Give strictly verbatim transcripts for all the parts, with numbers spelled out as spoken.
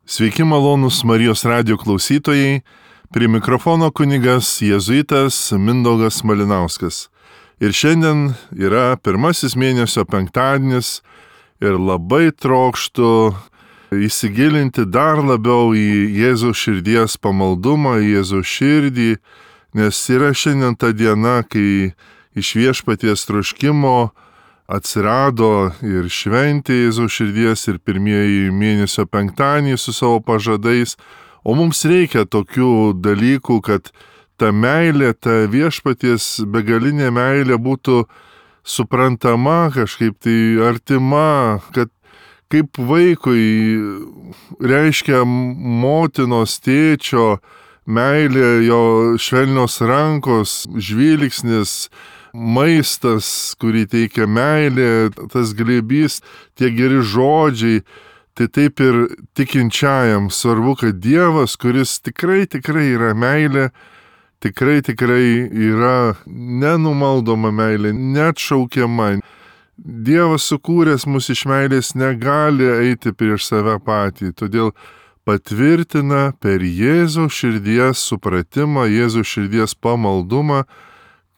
Sveiki malonūs Marijos radijo klausytojai, prie mikrofono kunigas jėzuitas Mindaugas Malinauskas. Ir šiandien yra pirmasis mėnesio penktadienis ir labai trokštu įsigilinti dar labiau į Jėzaus širdies pamaldumą, į Jėzaus širdį, nes yra šiandien ta diena, kai iš viešpaties troškimo atsirado ir šventė Jėzaus širdies ir pirmieji mėnesio penktadieniai su savo pažadais, o mums reikia tokių dalykų, kad ta meilė, ta viešpaties begalinė meilė būtų suprantama, kažkaip tai artima, kad kaip vaikui reiškia motinos, tėčio meilė, jo švelnios rankos, žvilgsnis, maistas, kurį teikia meilė, tas glėbys, tie geri žodžiai, tai taip ir tikinčiajam svarbu, kad Dievas, kuris tikrai, tikrai yra meilė, tikrai, tikrai yra nenumaldoma meilė, neatšaukiama. Dievas sukūręs mus iš meilės negali eiti prieš save patį, todėl patvirtina per Jėzaus širdies supratimą, Jėzaus širdies pamaldumą,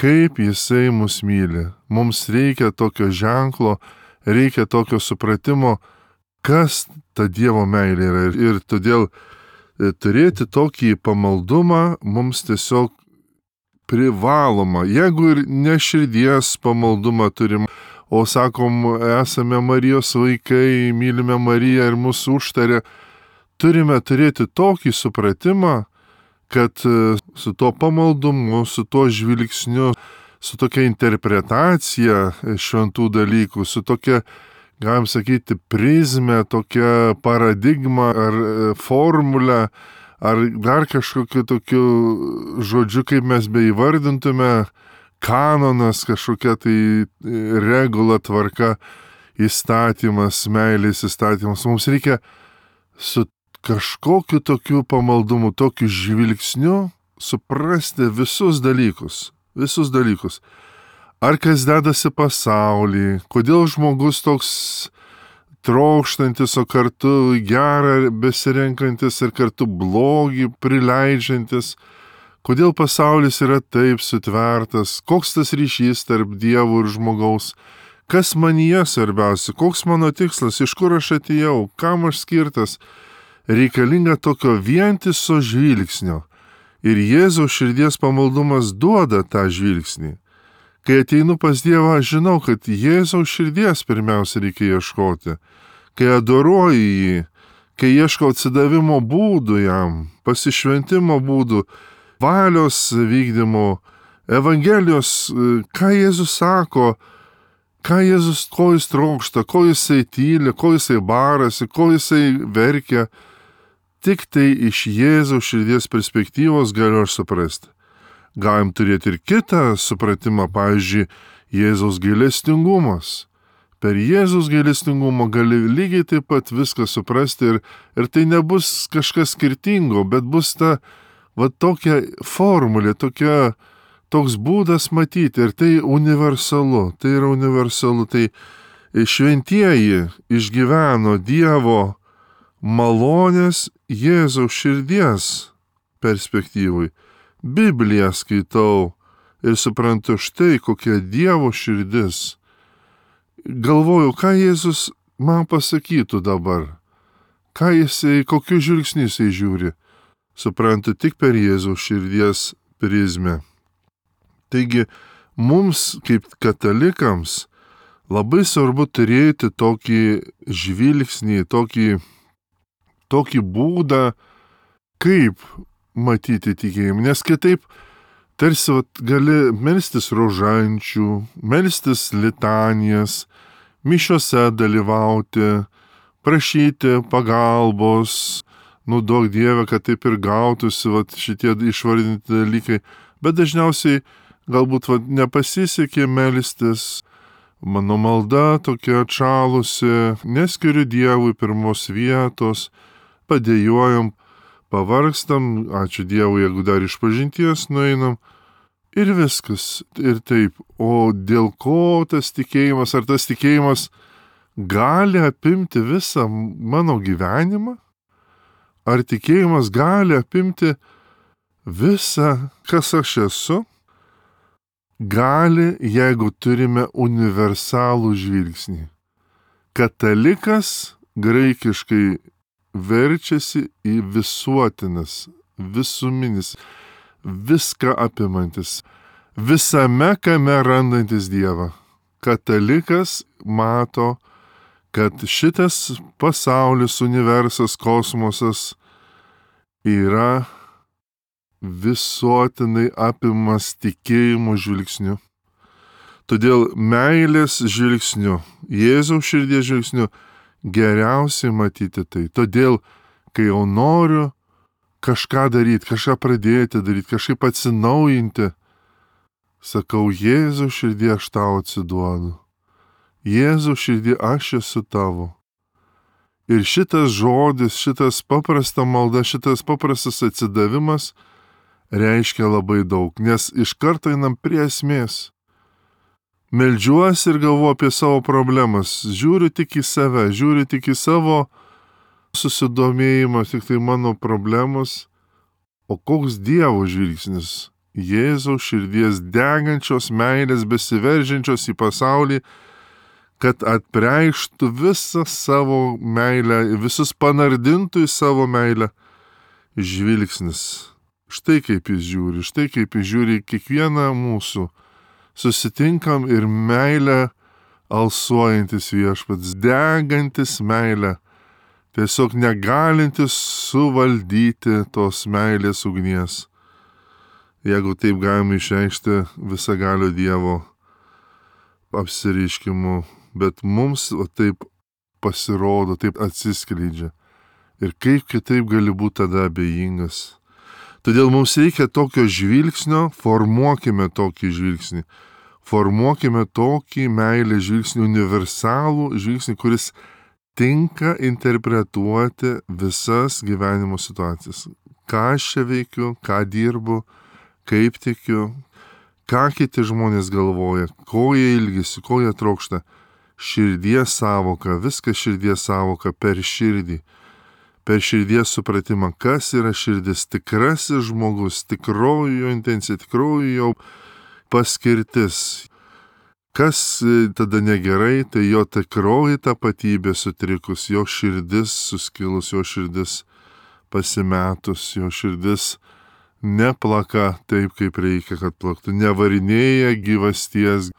kaip Jisai mus myli. Mums reikia tokio ženklo, reikia tokio supratimo, kas ta Dievo meilė yra. Ir todėl turėti tokį pamaldumą mums tiesiog privaloma. Jeigu ir ne širdies pamaldumą turim, o sakom, esame Marijos vaikai, mylime Mariją ir mūsų užtarė, turime turėti tokį supratimą, kad su tuo pamaldumu, su tuo žvilgsniu, su tokia interpretacija šventų dalykų, su tokia, galim sakyti, prizmė, tokia paradigma ar formulė, ar dar kažkokiu tokiu žodžiu, kaip mes beįvardintume, kanonas, kažkokia tai regula, tvarka, įstatymas, meilės įstatymas. Mums reikia su kažkokiu tokiu pamaldumu, tokiu žvilgsniu suprasti visus dalykus, visus dalykus. Ar kas dedasi pasaulyje, kodėl žmogus toks trokštantis, o kartu gerą besirenkantis ir kartu blogį prileidžiantis, kodėl pasaulis yra taip sutvertas, koks tas ryšys tarp Dievo ir žmogaus, kas manyje svarbiausia, koks mano tikslas, iš kur aš atėjau, kam aš skirtas. Reikalinga tokio vientiso žvilgsnio. Ir Jėzaus širdies pamaldumas duoda tą žvilgsnį. Kai ateinu pas Dievą, aš žinau, kad Jėzaus širdies pirmiausia reikia ieškoti. Kai adoruoju jį, kai ieškau atsidavimo būdų jam, pasišventimo būdų, valios vykdymo, Evangelijos, ką Jėzus sako, ką Jėzus, ko jis trokšta, ko jisai tyli, ko jisai barasi, ko jisai verkia. Tik tai iš Jėzaus širdies perspektyvos galiu aš suprasti. Galim turėti ir kitą supratimą, pavyzdžiui, Jėzaus gailestingumas. Per Jėzaus gailestingumą gali lygiai taip pat viską suprasti ir, ir tai nebus kažkas skirtingo, bet bus ta va tokia formulė, tokia, toks būdas matyti ir tai universalu, tai yra universalu, tai šventieji išgyveno Dievo malonės Jėzaus širdies perspektyvai. Bibliją skaitau ir suprantu štai kokia Dievo širdis. Galvoju, ką Jėzus man pasakytų dabar, ką jisai, kokiu žvilgsniu jisai žiūri. Suprantu tik per Jėzaus širdies prizmę. Taigi, mums kaip katalikams labai svarbu turėti tokį žvilgsnį, tokį, tokį būdą, kaip matyti tikėjimą. Nes kitaip tarsi vat, gali melstis rožančių, melstis litanijas, mišiose dalyvauti, prašyti pagalbos, nu duok Dieve, kad taip ir gautųsi vat, šitie išvardinti dalykai. Bet dažniausiai galbūt vat, nepasisekė melstis, mano malda tokia atšalusi, neskiriu Dievui pirmos vietos, padėjojam, pavargstam, ačiū Dievui, jeigu dar iš pažinties nueinam, ir viskas, ir taip. O dėl ko tas tikėjimas, ar tas tikėjimas gali apimti visą mano gyvenimą? Ar tikėjimas gali apimti visą, kas aš esu? Gali, jeigu turime universalų žvilgsnį. Katalikas graikiškai verčiasi į visuotinas, visuminis, viską apimantis, visame kame randantis Dievą. Katalikas mato, kad šitas pasaulis, universas, kosmosas yra visuotinai apimas tikėjimo žvilgsniu. Todėl meilės žvilgsniu, Jėzaus širdies žvilgsniu geriausiai matyti tai. Todėl, kai jau noriu kažką daryti, kažką pradėti daryti, kažkaip atsinaujinti, sakau, Jėzaus širdie aš tau atsiduodu. Jėzaus širdie aš esu tavo. Ir šitas žodis, šitas paprasta malda, šitas paprastas atsidavimas reiškia labai daug, nes iš karto einam prie esmės. Meldžiuosi ir galvoju apie savo problemas, žiūriu tik į save, žiūriu tik į savo susidomėjimą, tik tai mano problemos. O koks Dievo žvilgsnis? Jėzaus širdies degančios meilės, besiveržiančios į pasaulį, kad atpreikštų visą savo meilę, visus panardintų į savo meilę žvilgsnis. Štai kaip jis žiūri, štai kaip jis žiūri kiekvieną mūsų. Susitinkam ir meilę alsuojantis viešpats, degantis meilę, tiesiog negalintis suvaldyti tos meilės ugnies. Jeigu taip galime išreikšti visagalio Dievo apsireiškimu, bet mums o taip pasirodo, taip atsiskleidžia. Ir kaip kitaip gali būti tada abejingas. Todėl mums reikia tokio žvilgsnio, formuokime tokį žvilgsnį. Formuokime tokį meilės žvilgsnį, universalų žvilgsnį, kuris tinka interpretuoti visas gyvenimo situacijas. Ką aš čia veikiu, ką dirbu, kaip tikiu, ką kiti žmonės galvoja, ko jie ilgisi, ko jie trokšta. Širdies sąvoka, viskas širdies sąvoka per širdį. Per širdies supratimą, kas yra širdis, tikrasis žmogus, tikroji jo intencija, tikroji jo paskirtis. Kas tada negerai, tai jo tikroji tapatybė sutrikus, jo širdis suskilus, jo širdis pasimetus, jo širdis neplaka taip, kaip reikia, kad plaktų, nevarinėja gyvasties,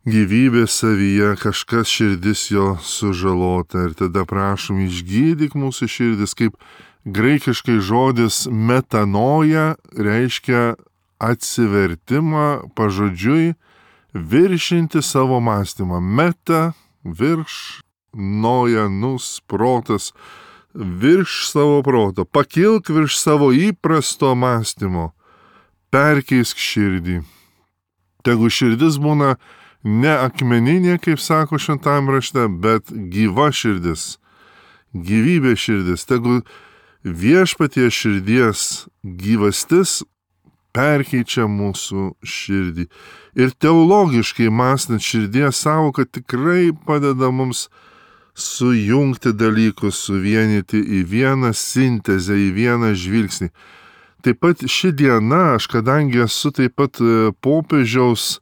gyvybė savyje, kažkas širdis jo sužalota. Ir tada prašom, išgydyk mūsų širdis, kaip graikiškai žodis metanoja reiškia atsivertimą pažodžiui, viršinti savo mąstymą. Meta, virš, noja, nus, protas, virš savo proto. Pakilk virš savo įprasto mąstymo. Perkeisk širdį. Tegu širdis būna ne akmeninė, kaip sako šventajam rašte, bet gyva širdis, gyvybė širdis. Tegu viešpatie širdies gyvastis perkeičia mūsų širdį. Ir teologiškai mąstant širdies sąvoka tikrai padeda mums sujungti dalykus, suvienyti į vieną sintezę, į vieną žvilgsnį. Taip pat ši diena, aš kadangi esu taip pat popiežiaus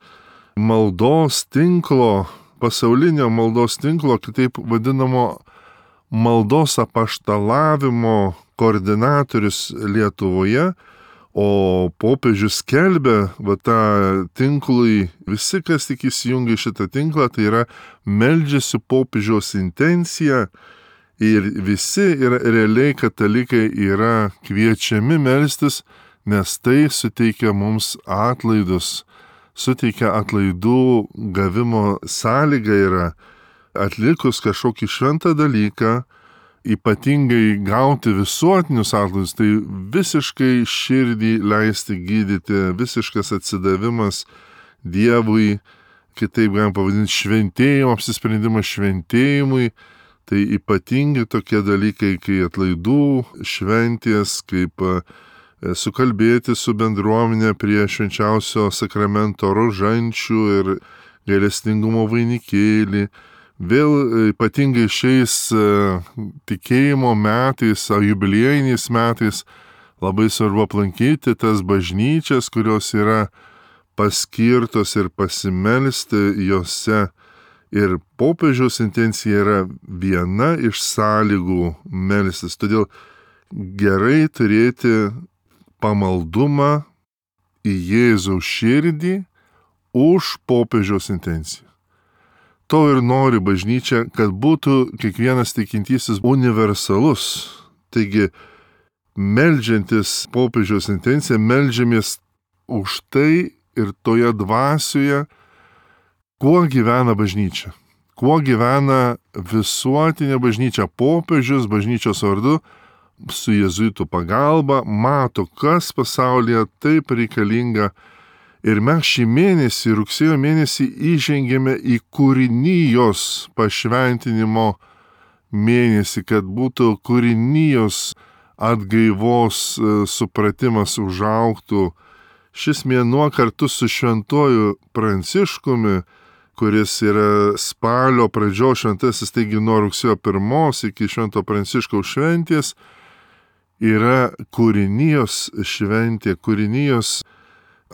maldos tinklo, pasaulinio maldos tinklo, kitaip vadinamo maldos apaštalavimo koordinatorius Lietuvoje, o popiežius skelbia va tą tinklui, visi, kas tik įsijungia šitą tinklą, tai yra meldžiasi popiežiaus intencija ir visi yra realiai katalikai yra kviečiami melstis, nes tai suteikia mums atlaidus. Suteikia atlaidų gavimo sąlyga yra atlikus kažkokį šventą dalyką, ypatingai gauti visuotinius atlaidus, tai visiškai širdį leisti gydyti, visiškas atsidavimas Dievui, kitaip galim pavadinti šventėjimo, apsisprendimas šventėjimui, tai ypatingi tokie dalykai, kai atlaidų šventės, kaip sukalbėti su bendruomenė prie švenčiausio sakramento rožančių ir gailestingumo vainikėlį, Vėl ypatingai šiais tikėjimo metais, jubiliejiniais metais labai svarbu aplankyti tas bažnyčias, kurios yra paskirtos ir pasimelsti jose. Ir popiežiaus intencija yra viena iš sąlygų melstis. Todėl gerai turėti pamaldumą į Jėzaus širdį už popiežiaus intenciją. To ir nori bažnyčia, kad būtų kiekvienas tikintysis universalus. Taigi, meldžiantis popiežiaus intenciją, meldžiamės už tai ir toje dvasioje, kuo gyvena bažnyčia, kuo gyvena visuotinė bažnyčia. Popiežius bažnyčios vardu su jėzuitų pagalba mato, kas pasaulyje taip reikalinga. Ir mes šį mėnesį, rugsėjo mėnesį, įžengėme į kūrinijos pašventinimo mėnesį, kad būtų kūrinijos atgaivos supratimas užaugtų. Šis mėnuo kartu su šventuoju Pranciškumi, kuris yra spalio pradžios šventasis, taigi nuo rugsėjo pirmos iki švento Pranciškaus šventės, yra kūrinijos šventė, kūrinijos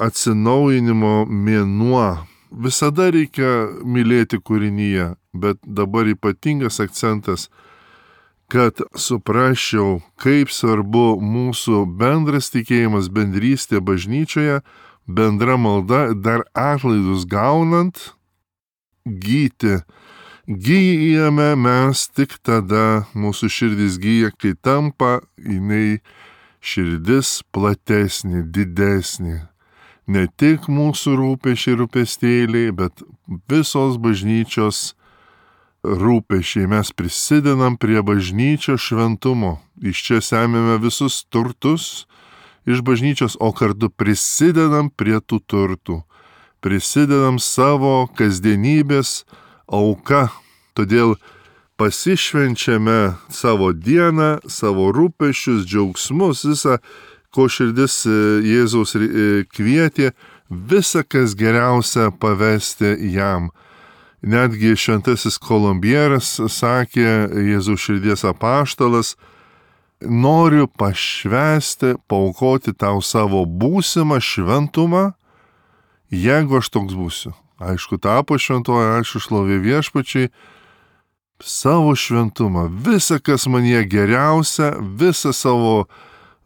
atsinaujinimo mėnuo. Visada reikia mylėti kūriniją, bet dabar ypatingas akcentas, kad suprasčiau, kaip svarbu mūsų bendras tikėjimas, bendrystė bažnyčioje, bendra malda, dar atlaidus gaunant, gyti. Gyjame mes tik tada, mūsų širdis gyja, kai tampa jinai širdis platesnė, didesnė. Ne tik mūsų rūpešiai rūpestėliai, bet visos bažnyčios rūpešiai. Mes prisidedam prie bažnyčios šventumo. Iš čia semiame visus turtus iš bažnyčios, o kartu prisidedam prie tų turtų. Prisidedam savo kasdienybės auka. Todėl pasišvenčiame savo dieną, savo rūpesčius, džiaugsmus, visą, ko širdis Jėzaus kvietė, visą, kas geriausia, pavesti jam. Netgi šventasis Kolumbieras sakė, Jėzaus širdies apaštalas, noriu pašvęsti, paaukoti tau savo būsimą šventumą, jeigu aš toks būsiu. Aišku, tapo šventoji, aišku, šlovė viešpačiai, savo šventumą, visą, kas manyje geriausia, visą savo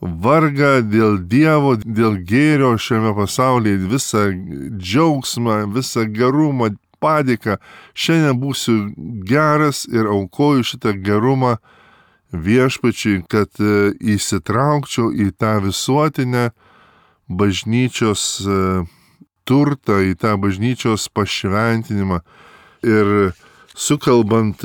vargą dėl Dievo, dėl gėrio šiame pasaulyje, visą džiaugsmą, visą gerumą, padėką. Šiandien būsiu geras ir aukoju šitą gerumą viešpačiui, kad įsitraukčiau į tą visuotinę bažnyčios turtą, į tą bažnyčios pašventinimą. Ir sukalbant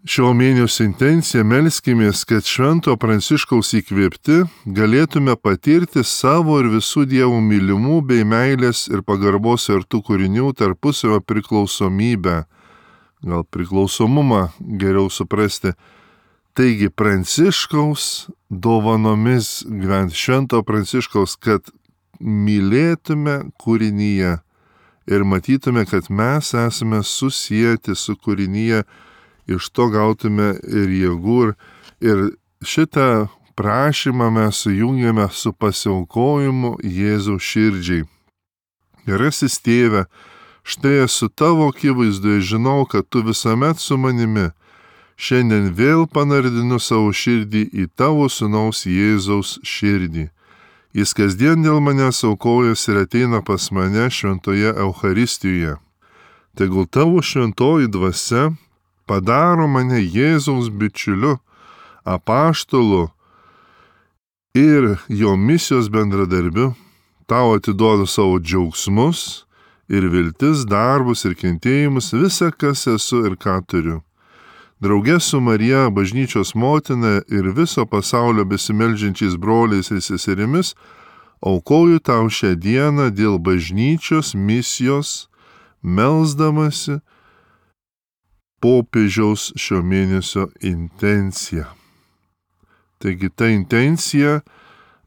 šio mėnesio intenciją, melskimės, kad švento Pranciškaus įkvėpti galėtume patirti savo ir visų Dievų mylimų bei meilės ir pagarbos artų kūrinių tarpusavio priklausomybę. Gal priklausomumą geriau suprasti. Taigi Pranciškaus dovanomis gyventi, švento Pranciškaus, kad mylėtume kūrinyje ir matytume, kad mes esame susijęti su kūrinyje, iš to gautume ir jėgų. Ir šitą prašymą mes sujungiame su pasiaukojimu Jėzaus širdžiai. Gerasis tėve, štai esu tavo akivaizdoje, žinau, kad tu visuomet su manimi. Šiandien vėl panardinu savo širdį į tavo sūnaus Jėzaus širdį. Jis kasdien dėl manęs aukojas ir ateina pas mane šventoje Eucharistijoje. Tegul tavo šventoji dvasia padaro mane Jėzaus bičiuliu, apaštalu ir jo misijos bendradarbiu. Tau atiduodu savo džiaugsmus ir viltis, darbus ir kentėjimus, visą, kas esu ir ką turiu. Drauge su Marija, bažnyčios motina ir viso pasaulio besimeldžiančiais broliais ir seserimis, aukoju tau šią dieną dėl bažnyčios misijos, melsdamasi popiežiaus šio mėnesio intenciją. Taigi ta intencija,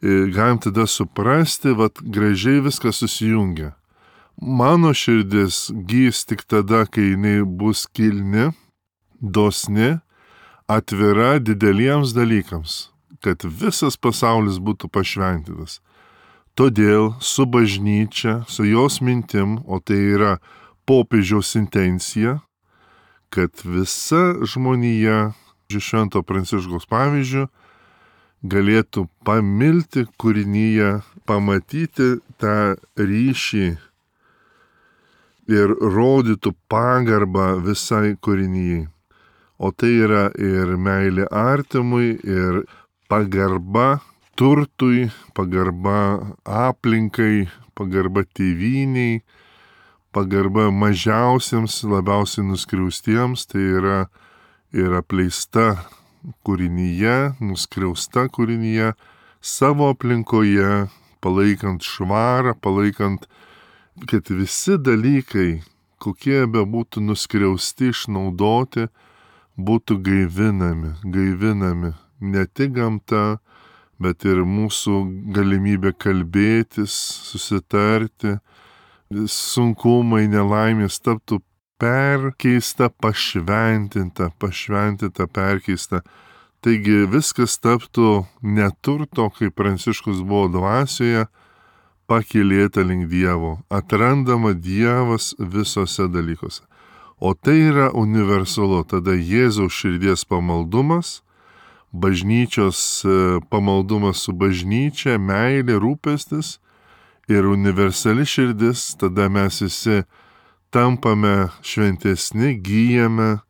galim tada suprasti, vat gražiai viskas susijungia. Mano širdis gys tik tada, kai jinai bus kilni, dosni, atvira dideliems dalykams, kad visas pasaulis būtų pašventintas. Todėl su bažnyčia, su jos mintim, o tai yra popiežiaus intencija, kad visa žmonija, Švento Pranciškaus pavyzdžiu, galėtų pamilti kūrinyje, pamatyti tą ryšį ir rodytų pagarbą visai kūrinyjei. O tai yra ir meilė artimui, ir pagarba turtui, pagarba aplinkai, pagarba tėvyniai, pagarba mažiausiems, labiausiai nuskriaustiems, tai yra ir apleista kūrinyje, nuskriausta kūrinyje, savo aplinkoje, palaikant švarą, palaikant, kad visi dalykai, kokie bebūtų nuskriausti, išnaudoti, būtų gaivinami, gaivinami. Ne tik gamta, bet ir mūsų galimybė kalbėtis, susitarti, sunkumai, nelaimės taptų perkeista, pašventinta, pašventinta, perkeista. Taigi viskas taptų neturto, kaip Pranciškus buvo dvasioje, pakilėta link Dievo, atrandama Dievas visose dalykuose. O tai yra universalu, tada Jėzaus širdies pamaldumas, bažnyčios pamaldumas su bažnyčia, meilė, rūpestis ir universali širdis, tada mes visi tampame šventesni, gyjame,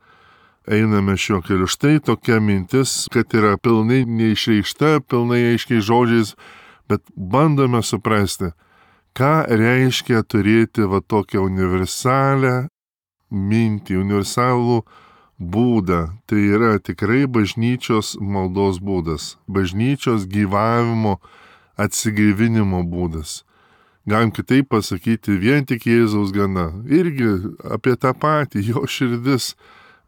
einame šiuo keliu. Štai tokia mintis, kad yra pilnai neišreikšta, pilnai aiškiai žodžiais, bet bandome suprasti, ką reiškia turėti va tokią universalę mintį, universalų būdą. Tai yra tikrai bažnyčios maldos būdas, bažnyčios gyvavimo, atsigaivinimo būdas. Galim kitaip pasakyti, vien tik Jėzaus gana. Irgi apie tą patį, jo širdis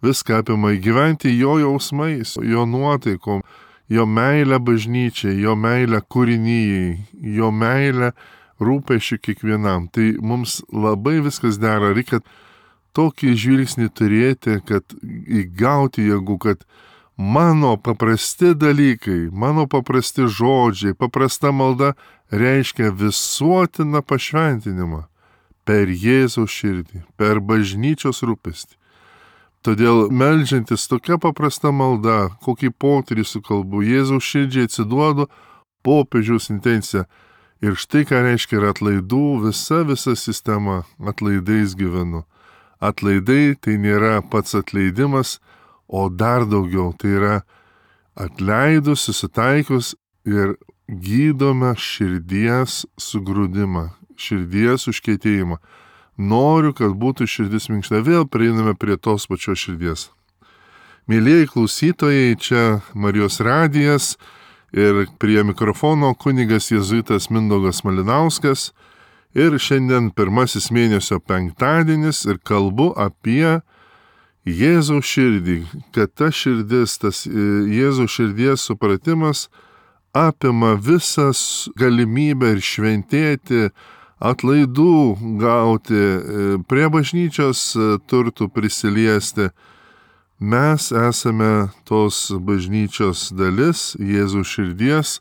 viską apima, gyventi jo jausmais, jo nuotaikom, jo meilę bažnyčiai, jo meilę kūrinyjei, jo meilę rūpesčių kiekvienam. Tai mums labai viskas dera, reikia tokį žvilgsnį turėti, kad įgauti jėgų, kad mano paprasti dalykai, mano paprasti žodžiai, paprasta malda reiškia visuotiną pašventinimą per Jėzaus širdį, per bažnyčios rūpestį. Todėl meldžiantis tokia paprasta malda, kokį potyrį sukalbu, Jėzaus širdžiai atsiduodu, popiežiaus intencija. Ir štai ką reiškia ir atlaidų, visa visa sistema, atlaidais gyvenu. Atlaidai tai nėra pats atleidimas, o dar daugiau, tai yra atleidus, susitaikus ir gydome širdies sugrūdimą, širdies užkietėjimą. Noriu, kad būtų širdis minkšta. Vėl prieiname prie tos pačios širdies. Mėlieji klausytojai, čia Marijos radijas ir prie mikrofono kunigas jėzuitas Mindaugas Malinauskas. Ir šiandien pirmasis mėnesio penktadienis ir kalbu apie Jėzaus širdį, kad ta širdis, tas Jėzaus širdies supratimas apima visas galimybę ir šventėti, atlaidų gauti, prie bažnyčios turtų prisiliesti. Mes esame tos bažnyčios dalis, Jėzaus širdies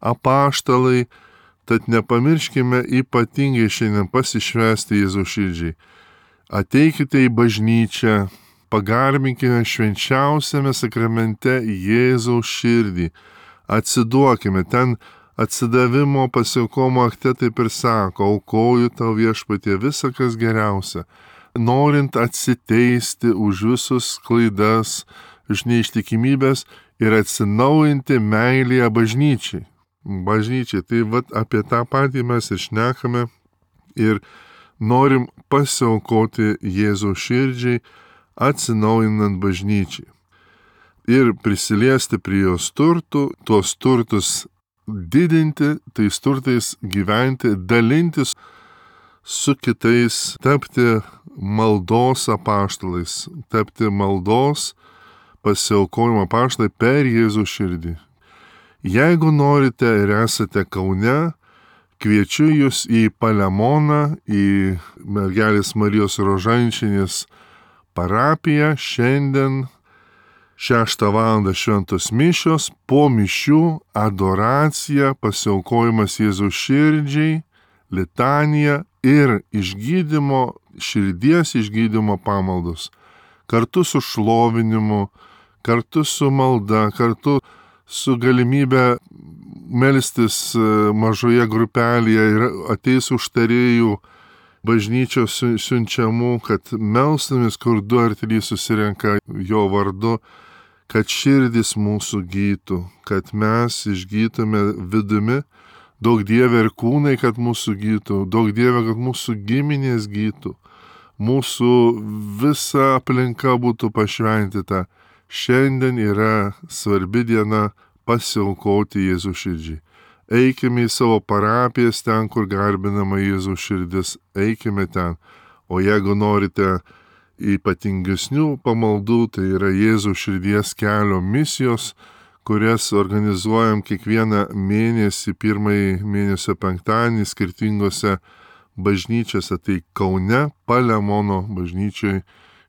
apaštalai, tad nepamirškime ypatingai šiandien pasišvęsti Jėzaus širdžiai. Ateikite į bažnyčią, pagarbinkime švenčiausiame sakramente Jėzaus širdį. Atsiduokime, ten atsidavimo pasiaukomo akte taip ir sako, aukoju tau Viešpatie visą, kas geriausia, norint atsiteisti už visus klaidas, už neištikimybės ir atsinaujinti meilėje bažnyčiai. Bažnyčiai, tai vat apie tą patį mes ir šnekame ir norim pasiaukoti Jėzaus širdžiai, atsinaujinant bažnyčiai. Ir prisiliesti prie jos turtų, tuos turtus didinti, tais turtais gyventi, dalintis su kitais, tapti maldos apaštalais, tapti maldos pasiaukojimo apaštalai per Jėzaus širdį. Jeigu norite ir esate Kaune, Kviečiu jūs į Palemoną, į Mergelės Marijos Rožančinės parapiją. Šiandien šeštą valandą šventos mišios, po mišių adoracija, pasiaukojimas Jėzaus širdžiai, litanija ir išgydymo, širdies išgydymo pamaldos. Kartu su šlovinimu, kartu su malda, kartu su galimybė melstis mažoje grupelėje ir ateis užtarėjų bažnyčios siunčiamų, kad melstumės, kur du ar trys susirenka jo vardu, kad širdis mūsų gytų, kad mes išgytume vidumi, daug Dieve ir kūnai, kad mūsų gytų, daug Dieve, kad mūsų giminės gytų, mūsų visa aplinka būtų pašventyta. Šiandien yra svarbi diena pasiaukoti Jėzų širdžiai. Eikime į savo parapijas ten, kur garbinama Jėzų širdis, eikime ten. O jeigu norite ypatingesnių pamaldų, tai yra Jėzų širdies kelio misijos, kurias organizuojam kiekvieną mėnesį, pirmąjį mėnesio penktadienį skirtingose bažnyčiose. Tai Kaune, Palemono bažnyčioj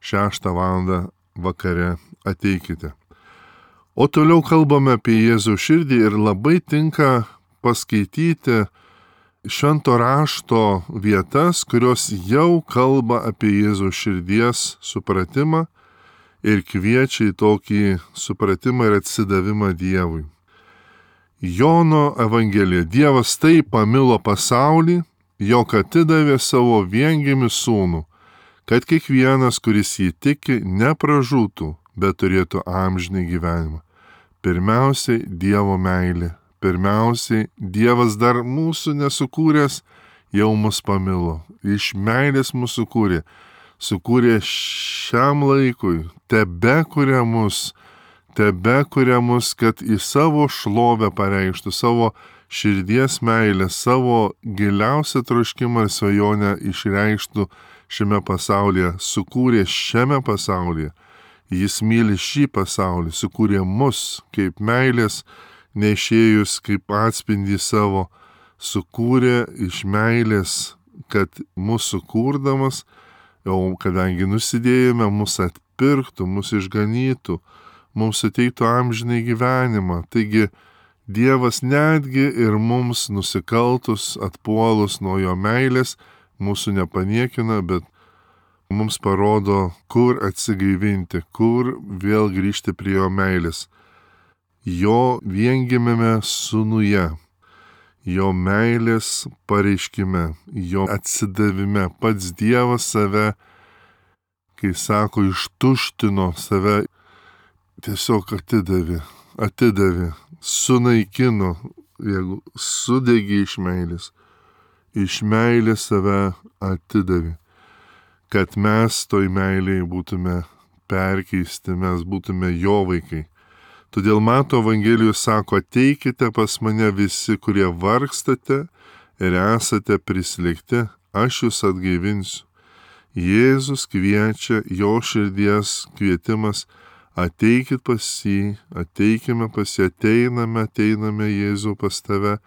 šeštą valandą vakare ateikite. O toliau kalbame apie Jėzų širdį ir labai tinka paskaityti švento rašto vietas, kurios jau kalba apie Jėzų širdies supratimą ir kviečia į tokį supratimą ir atsidavimą Dievui. Jono Evangelija. Dievas taip pamilo pasaulį, jog atidavė savo viengimį sūnų, kad kiekvienas, kuris jį tiki, nepražūtų, bet turėtų amžinį gyvenimą. Pirmiausiai Dievo meilė. Pirmiausiai Dievas dar mūsų nesukūręs, jau mus pamilo. Iš meilės mūsų sukūrė. Sukūrė šiam laikui. Tebe kuria mus. Tebe kuria mus, kad į savo šlovę pareikštų, savo širdies meilę, savo giliausią troškimą ir svajonę išreikštų šiame pasaulyje. Sukūrė šiame pasaulyje. Jis myli šį pasaulį, sukūrė mus kaip meilės nešėjus, kaip atspindį savo, sukūrė iš meilės, kad mūsų kurdamas, jau kadangi nusidėjome, mus atpirktų, mus išganytų, mums suteiktų amžinai gyvenimą. Taigi Dievas netgi ir mums nusikaltus, atpuolus nuo jo meilės, mūsų nepaniekina, bet mums parodo, kur atsigaivinti, kur vėl grįžti prie jo meilės. Jo viengimėme sūnuje, jo meilės pareiškime, jo atsidavime. Pats Dievas save, kai sako, ištuštino save, tiesiog atidavė, atidavė, sunaikino, jeigu sudegė iš meilės, iš meilės save atidavė. Kad mes toj meiliai būtume perkeisti, mes būtume jo vaikai. Todėl Mato Evangelijos sako, ateikite pas mane visi, kurie vargstate ir esate prislėgti, aš jūs atgaivinsiu. Jėzus kviečia, jo širdies kvietimas, ateikit pas jį, ateikime pas jį, ateiname, ateiname Jėzų pas tave,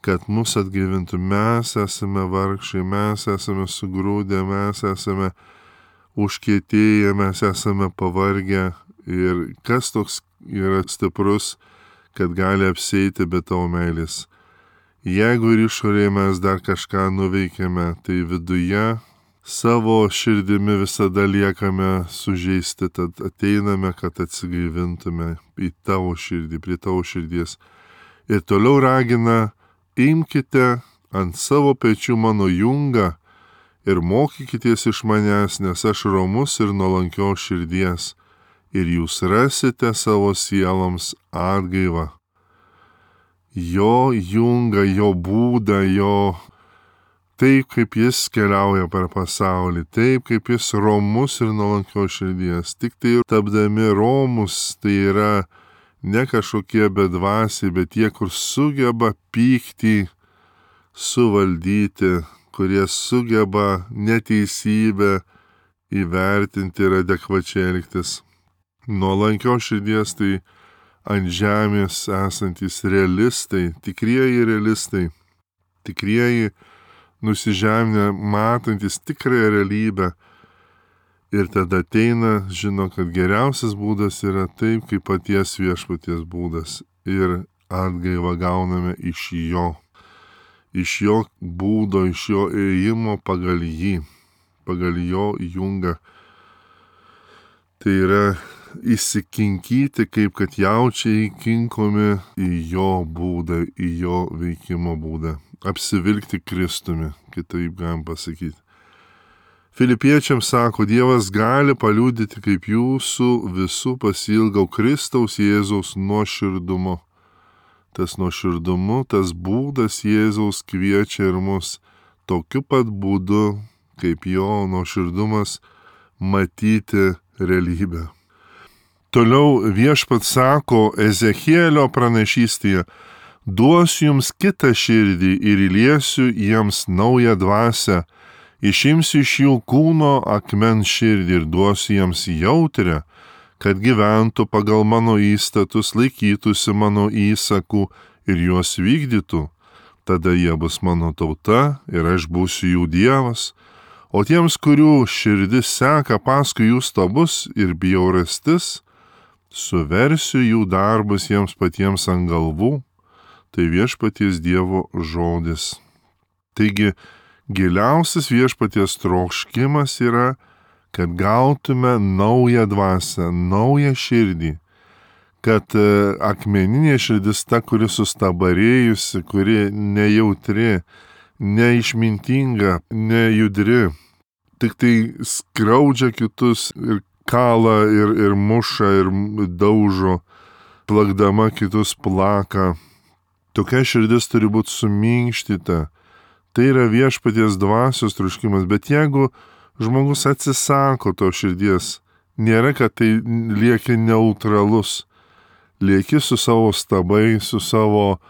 kad mus atgaivintų. Mes esame vargšai, mes esame sugrūdę, mes esame užkietėję, mes esame pavargę. Ir kas toks yra stiprus, kad gali apsieiti be tavo meilės. Jeigu ir išorėje mes dar kažką nuveikėme, tai viduje savo širdimi visada liekame sužeisti, tad ateiname, kad atsigaivintume į tavo širdį, prie tavo širdies. Ir toliau ragina, imkite ant savo pečių mano jungą ir mokykitės iš manęs, nes aš romus ir nuolankios širdies, ir jūs rasite savo sieloms atgaivą. Jo jungą, jo būdą, jo taip, kaip jis keliauja per pasaulį, taip, kaip jis romus ir nuolankios širdies. Tik tai tapdami romus, tai yra ne kažkokie bedvasiai, bet tie, kur sugeba pyktį suvaldyti, kurie sugeba neteisybę įvertinti ir adekvačiai elgtis. Nuolankios širdies tai ant žemės esantys realistai, tikrieji realistai. tikrieji nusižeminę, matantis tikrąją realybę. Ir tada ateina, žino, kad geriausias būdas yra taip, kaip paties viešpaties būdas. Ir atgaivą gauname iš jo. Iš jo būdo, iš jo ėjimo pagal jį. Pagal jo jungą. Tai yra įsikinkyti, kaip kad jaučiai kinkomi į jo būdą, į jo veikimo būdą. Apsivilkti Kristumi, kitaip galim pasakyti. Filipiečiams sako, Dievas gali paliudyti, kaip jūsų visų pasilgau Kristaus Jėzaus nuoširdumu. Tas nuoširdumu, tas būdas Jėzaus kviečia ir mus tokiu pat būdu, kaip jo nuoširdumas, matyti realybę. Toliau viešpats sako Ezechielio pranašystėje, duosiu jums kitą širdį ir įliesiu jiems naują dvasią, išimsiu iš jų kūno akmens širdį ir duosiu jiems jautrę, kad gyventų pagal mano įstatus, laikytųsi mano įsakų ir juos vykdytų. Tada jie bus mano tauta ir aš būsiu jų Dievas. O tiems, kurių širdis seka paskui jų stabus ir bjaurastis, suversiu jų darbus jiems patiems ant galvų. Tai viešpaties Dievo žodis. Taigi, giliausias viešpaties troškimas yra, kad gautume naują dvasią, naują širdį, kad akmeninė širdis ta, kuri sustabarėjusi, kuri nejautri, neišmintinga, nejudri, tik tai skriaudžia kitus ir kala ir, ir muša ir daužo, plakdama kitus plaka. Tokia širdis turi būti suminkštita. Tai yra viešpaties dvasios troškimas, bet jeigu žmogus atsisako to širdies, nėra, kad tai lieki neutralus. Lieki su savo stabai, su savo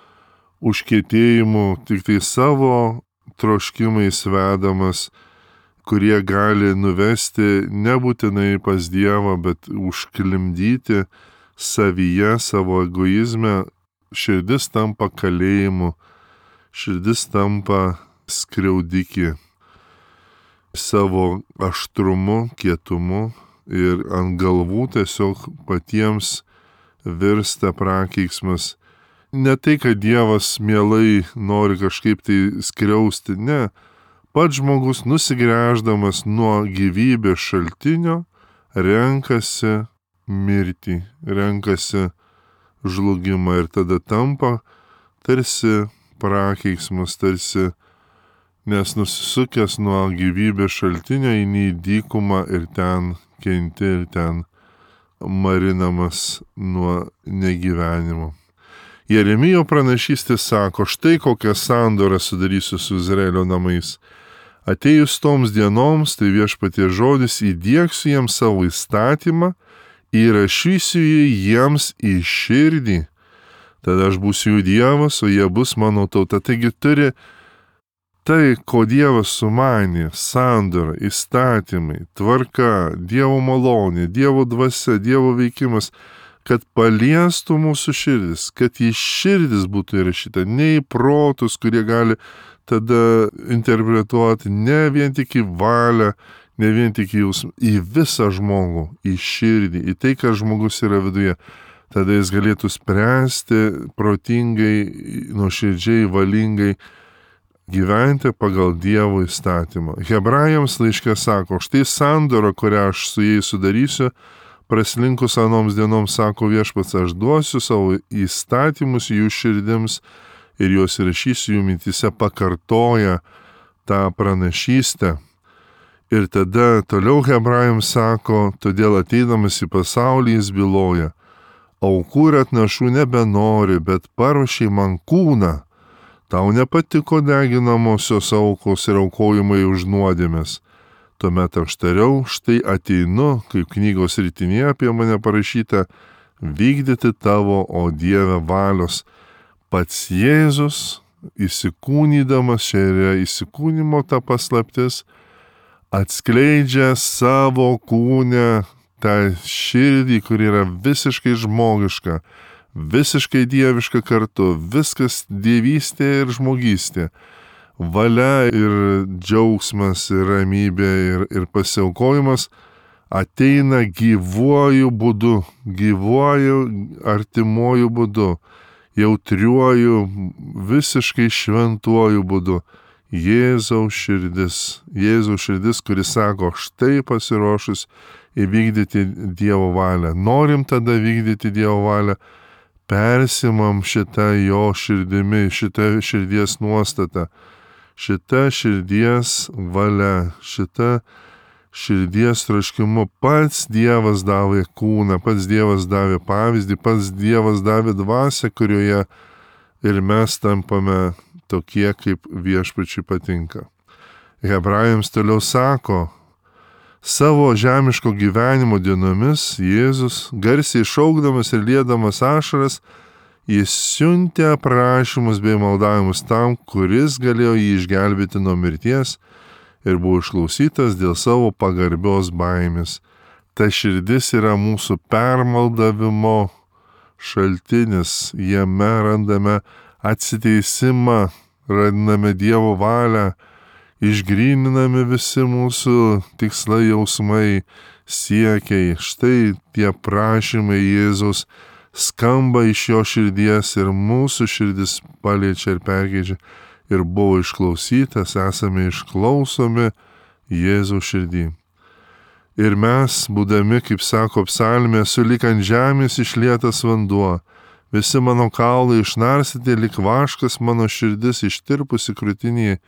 užkietėjimu, tik tai savo troškimais vedamas, kurie gali nuvesti nebūtinai pas Dievą, bet užklimdyti savyje, savo egoizme. Širdis tampa kalėjimu, širdis tampa skriaudikį savo aštrumu, kietumu ir ant galvų tiesiog patiems virsta prakeiksmas. Ne tai, kad Dievas mielai nori kažkaip tai skriausti, ne. Pats žmogus nusigręždamas nuo gyvybės šaltinio renkasi mirtį, renkasi žlugimą ir tada tampa tarsi prakeiksmas, tarsi, nes nusisukęs nuo gyvybės šaltinio eini į dykumą ir ten kenti ir ten marinamas nuo negyvenimo. Jeremijo pranašystė sako, štai kokią sandorą sudarysiu su Izraelio namais. Atėjus toms dienoms, tai viešpaties žodis, įdiegsiu jiems savo įstatymą, įrašysiu jį jiems į širdį. Tada aš būsiu jų Dievas, o jie bus mano tauta. Taigi turi tai, ko Dievas sumanė, sandora, įstatymai, tvarka, Dievo malonė, Dievo dvasia, Dievo veikimas, kad paliestų mūsų širdis, kad į širdis būtų įrašyta, ne į protus, kurie gali tada interpretuoti ne vien tik į valią, ne vien tik į jausmą, į visą žmogų, į širdį, į tai, kas žmogus yra viduje. Tada jis galėtų spręsti protingai, nuoširdžiai, valingai gyventi pagal Dievo įstatymą. Hebrajams laiške sako, štai sandora, kurią aš su jais sudarysiu, praslinkus anoms dienoms, sako viešpats, aš duosiu savo įstatymus jų širdims ir juos įrašysiu jų mintyse, pakartoja tą pranašystę. Ir tada toliau Hebrajams sako, todėl ateidamas į pasaulį jis byloja, aukų ir atnašų nebenori, bet paruošei man kūną. Tau nepatiko deginamosios aukos ir aukojimai už nuodėmes. Tuomet aš tariau, štai ateinu, kaip knygos ritinėje apie mane parašyta, vykdyti tavo, o Dieve, valios. Pats Jėzus, įsikūnydamas, čia yra įsikūnymo ta paslaptis, atskleidžia savo kūne tą širdį, kuri yra visiškai žmogiška, visiškai dieviška kartu, viskas dievystė ir žmogystė. valia ir džiaugsmas ir ramybė ir, ir pasiaukojimas ateina gyvuoju būdu, gyvuoju artimuoju būdu, jautriuoju, visiškai šventuoju būdu. Jėzaus širdis, Jėzaus širdis, kuris sako, štai pasiruošus įvykdyti Dievo valią. Norim tada vykdyti Dievo valią, persimam šitą jo širdimi, šitą širdies nuostatą, šitą širdies valia, šitą širdies troškimu. Pats Dievas davė kūną, pats Dievas davė pavyzdį, pats Dievas davė dvasią, kurioje ir mes tampame tokie, kaip viešpačiui patinka. Hebrajams toliau sako, savo žemiško gyvenimo dienomis Jėzus, garsiai šaukdamas ir liedamas ašaras, jis siuntė aprašymus bei maldavimus tam, kuris galėjo jį išgelbėti nuo mirties ir buvo išklausytas dėl savo pagarbios baimės. Ta širdis yra mūsų permaldavimo šaltinis, jame randame atsiteisimą, randame Dievo valią, išgryninami visi mūsų tikslai, jausmai, siekiai. Štai tie prašymai Jėzaus skamba iš jo širdies ir mūsų širdis paliečia ir perkeičia ir buvo išklausytas, esame išklausomi Jėzaus širdį. Ir mes, būdami, kaip sako psalmė, sulik ant žemės išlietas vanduo, visi mano kaulai išnarsyti, lik vaškas mano širdis ištirpusi krūtinėje.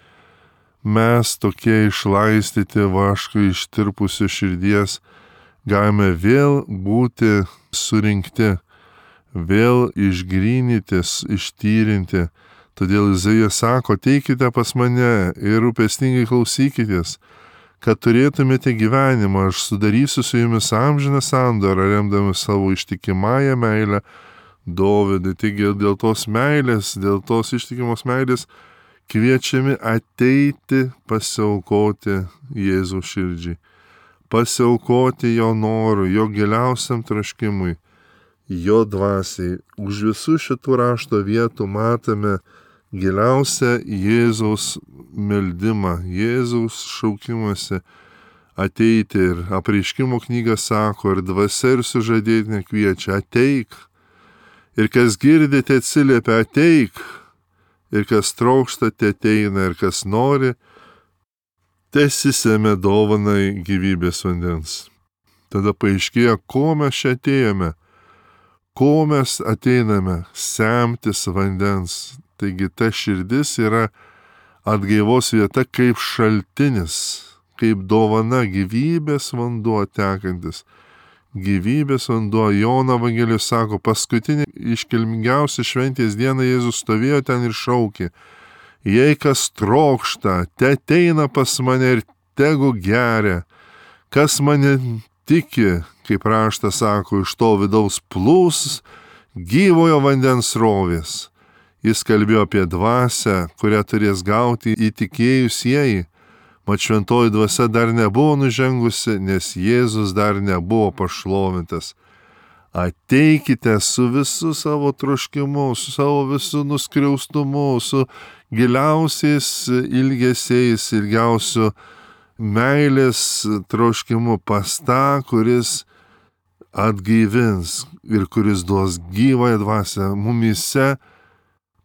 Mes tokie išlaistyti vaškai ištirpusi širdies galime vėl būti surinkti, vėl išgrynytis, ištyrinti. Todėl Izaijas sako, teikite pas mane ir rūpestingai klausykitės, kad turėtumėte gyvenimą, aš sudarysiu su jumis amžiną sandorą, remdami savo ištikimąją meilę Dovydui. Taigi dėl tos meilės, dėl tos ištikimos meilės kviečiami ateiti pasiaukoti Jėzaus širdžiai, pasiaukoti jo norui, jo giliausiam troškimui, jo dvasiai. Už visų šitų rašto vietų matome giliausią Jėzaus meldimą, Jėzaus šaukimąsi ateiti. Ir Apreiškimo knyga sako, ir dvasia ir sužadėtinė kviečia, ateik. Ir kas girdite atsiliepia, ateik. Ir kas trokšta, te ateina, ir kas nori, tesisėmė dovanai gyvybės vandens. Tada paaiškėja, ko mes čia atėjome, ko mes ateiname, semtis vandens. Taigi ta širdis yra atgaivos vieta kaip šaltinis, kaip dovana, gyvybės vanduo tekantis. Gyvybės vanduo. Jono Evangelijos sako, paskutinį iškilmingiausią šventės dieną Jėzus stovėjo ten ir šaukė, jei kas trokšta, te ateina pas mane ir tegu geria, kas mane tiki, kaip raštas sako, iš to vidaus plūs gyvojo vandens srovės. Jis kalbėjo apie dvasią, kurią turės gauti įtikėjusieji. Mat šventoji dvasia dar nebuvo nužengusi, nes Jėzus dar nebuvo pašlovintas. Ateikite su visu savo troškimu, su savo visu nuskriaustumu, su giliausiais ilgesiais, ilgiausiu meilės troškimu pas tą, kuris atgaivins ir kuris duos gyvąją dvasią. Mumyse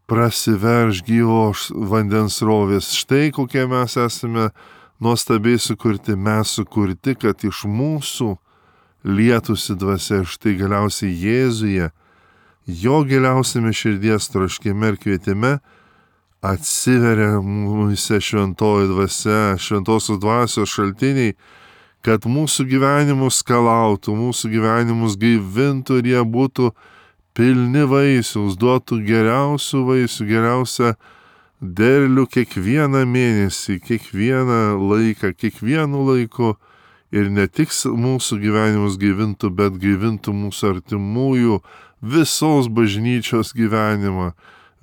prasiverš gyvos vandens srovės. Štai kokie mes esame nuostabiai sukurti. Mes sukurti, kad iš mūsų lietųsi dvasia. Štai galiausiai Jėzuje, jo giliausiame širdies troškime ir kvietime atsiveria mūsų šventoji dvasia, šventosios dvasios šaltiniai, kad mūsų gyvenimus skalautų, mūsų gyvenimus gaivintų ir jie būtų pilni vaisiaus, duotų geriausių vaisių, geriausią derlių kiekvieną mėnesį, kiekvieną laiką, kiekvienu laiku. Ir ne tik mūsų gyvenimus gaivintų, bet gaivintų mūsų artimųjų, visos bažnyčios gyvenimą,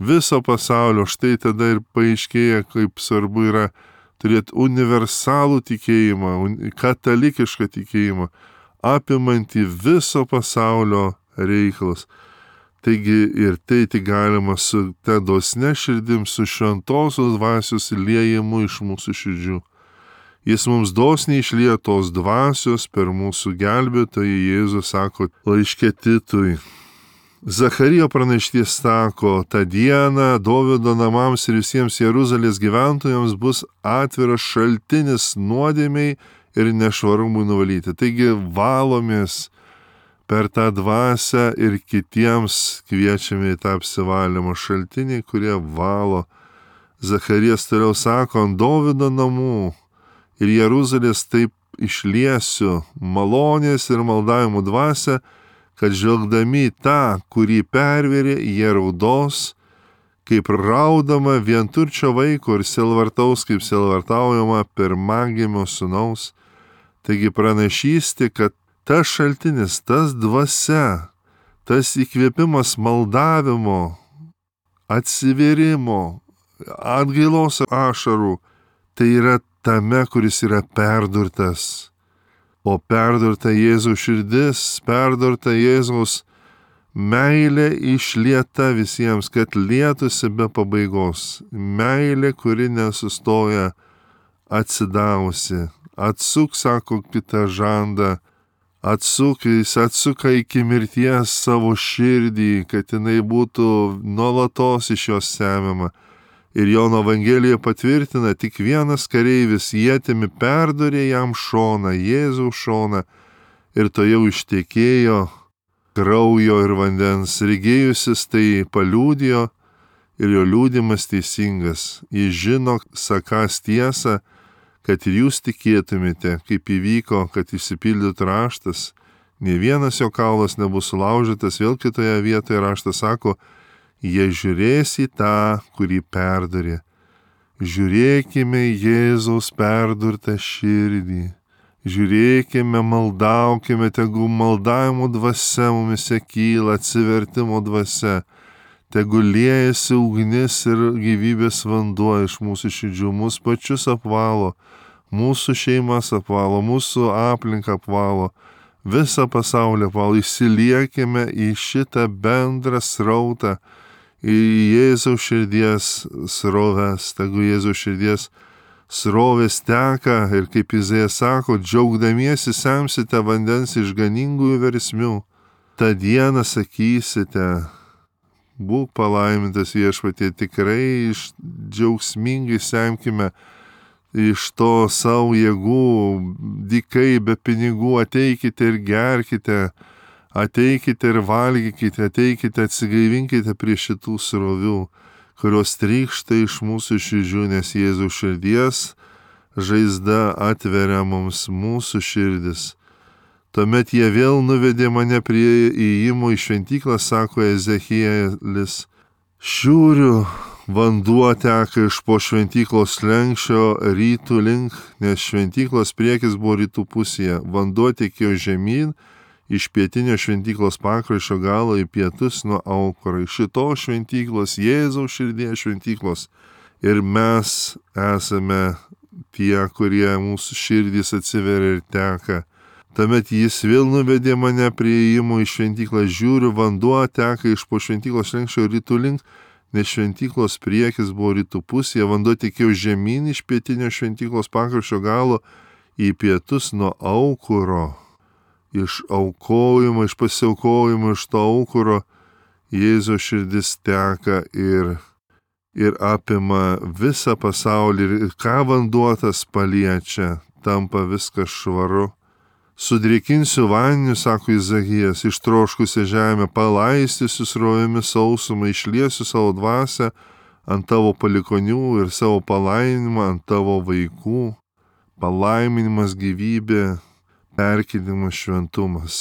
viso pasaulio. Štai tada ir paaiškėja, kaip svarbu yra turėti universalų tikėjimą, katalikišką tikėjimą, apimantį viso pasaulio reikalus. Taigi ir tai tik galima su ta dosne širdim, su šventosios dvasios liejimu iš mūsų širdžių. Jis mums dosniai išlieja tos dvasios per mūsų gelbėtoją Jėzų, sako laiške Titui. Zacharijo pranaštis sako, tą dieną Dovydo namams ir visiems Jeruzalės gyventojams bus atviras šaltinis nuodėmiai ir nešvarumui nuvalyti. Taigi valomės per tą dvasią ir kitiems kviečiame į tą apsivalymo šaltinį, kurie valo. Zacharijas toliau sako, ant Dovydo namų ir Jeruzalės taip išliesiu malonės ir maldavimo dvasią, kad žvelgdami tą, kurį pervėrė, jie raudos, kaip raudama vienturčio vaiko ir sielvartaus, kaip sielvartaujama pirmagimio sūnaus. Taigi pranašystė, kad tas šaltinis, tas dvasia, tas įkvėpimas maldavimo, atsivėrimo, atgailos ašarų, tai yra tame, kuris yra perdurtas. O perdurta Jėzaus širdis, perdurta Jėzaus meilė išlieta visiems, kad lietųsi be pabaigos. Meilė, kuri nesustoja, atsidavusi. Atsuk, sako, kitą žandą. Atsuk, jis atsuka iki mirties savo širdį, kad jinai būtų nuolatos iš jos semiama. Ir Jono Evangelija patvirtina, tik vienas kareivis ietimi perdurė jam šoną, Jėzaus šoną, ir to jau ištekėjo kraujo ir vandens. Regėjusis tai paliudijo ir jo liudimas teisingas. Jis žino, sakąs tiesą, kad ir jūs tikėtumėte, kaip įvyko, kad išsipildytų raštas. Nė vienas jo kaulas nebus sulaužytas, vėl kitoje vietoje raštas sako, jie žiūrės į tą, kurį perdurė. Žiūrėkime Jėzaus perdurtą širdį. Žiūrėkime, maldaukime, tegu maldavimo dvasia mumise kyla, atsivertimo dvasia. Tegu liejasi ugnis ir gyvybės vanduo iš mūsų širdžių, mūsų pačius apvalo, mūsų šeimas apvalo, mūsų aplinką apvalo, visą pasaulį apvalo. Įsiliekime į šitą bendrą srautą, į Jėzaus širdies sroves, tegu Jėzaus širdies srovės teka ir kaip Izaijas sako, džiaugdamiesi semsite vandens iš ganingųjų versmių. Ta dieną sakysite, būk palaimintas Viešpatie, tikrai iš džiaugsmingai semkime iš to savo jėgų, dykai be pinigų, ateikite ir gerkite, ateikite ir valgykite, ateikite, atsigaivinkite prie šitų srovių, kurios trykšta iš mūsų širdžių, nes Jėzaus širdies žaizda atveria mums mūsų širdis. Tuomet jie vėl nuvedė mane prie įėjimo į šventyklą, sako Ezechielis. Šiūriu vanduo teka iš po šventyklos slenksčio rytų link, nes šventyklos priekis buvo rytų pusėje. Vanduo tekėjo žemyn, iš pietinio šventyklos pakraščio galo į pietus nuo aukuro. Iš šitos šventyklos, Jėzaus širdies šventyklos. Ir mes esame tie, kurie mūsų širdys atsiveria ir teka. Tuomet jis vėl nuvedė mane prie įėjimo į šventyklą. Žiūriu, vanduo teka iš po šventyklos slenksčio rytų link, nes šventyklos priekis buvo rytų pusėje. Vanduo tekėjo žemyn iš pietinio šventyklos pakraščio galo į pietus nuo aukuro. Iš aukojimo, iš pasiaukojimo, iš to aukuro Jėzaus širdis teka ir, ir apima visą pasaulį. Ir ką vanduo tas paliečia, tampa viskas švaru. Sudrėkinsiu vandeniu, sako Izaijas, ištroškusią žemę, palaistysiu srovėmis sausumą, išliesiu savo dvasią ant tavo palikonių ir savo palaiminimą ant tavo vaikų. Palaiminimas, gyvybė, perkeitimas, šventumas.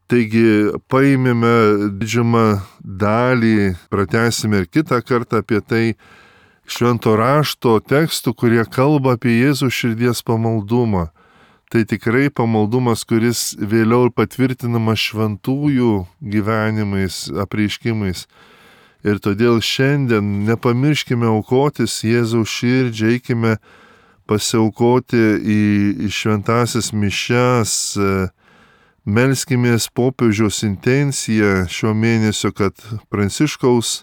Taigi paimėme didžiumą dalį, pratęsime ir kitą kartą apie tai švento rašto tekstų, kurie kalba apie Jėzaus širdies pamaldumą. Tai tikrai pamaldumas, kuris vėliau patvirtinamas šventųjų gyvenimais, apreiškimais. Ir todėl šiandien nepamirškime aukotis Jėzaus širdžiai, eikime pasiaukoti į, į šventasias mišias, Melskimės popiežiaus intenciją šio mėnesio, kad Pranciškaus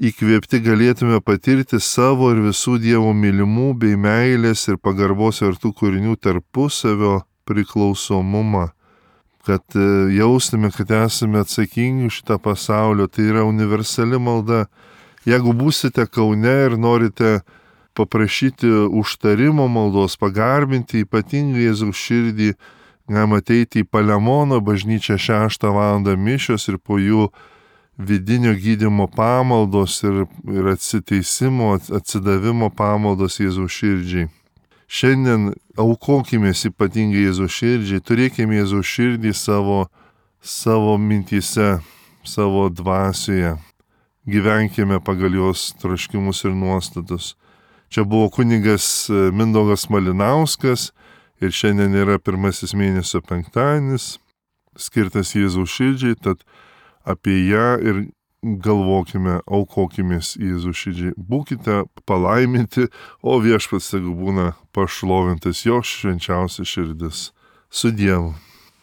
įkvėpti galėtume patirti savo ir visų Dievo mylimų bei meilės ir pagarbos vertų kūrinių tarpusavio priklausomumą, kad jaustume, kad esame atsakingi už šitą pasaulio. Tai yra universali malda. Jeigu būsite Kaune ir norite paprašyti užtarimo maldos, pagarbinti ypatingai Jėzaus širdį, galima ateiti į Palemono bažnyčią šeštą valandą mišios ir po jų vidinio gydymo pamaldos ir, ir atsiteisimo, atsidavimo pamaldos Jėzaus širdžiai. Šiandien aukokimės ypatingai Jėzaus širdžiai, turėkime Jėzaus širdį savo, savo mintyse, savo dvasioje. Gyvenkime pagal jos troškimus ir nuostatus. Čia buvo kunigas Mindaugas Malinauskas ir šiandien yra pirmasis mėnesio penktadienis, skirtas Jėzaus širdžiai, tad apie ją ir galvokime, aukokimės Jėzaus širdžiai. Būkite palaiminti, o viešpats tegu būna pašlovintas jo švenčiausia širdis. Su Dievu.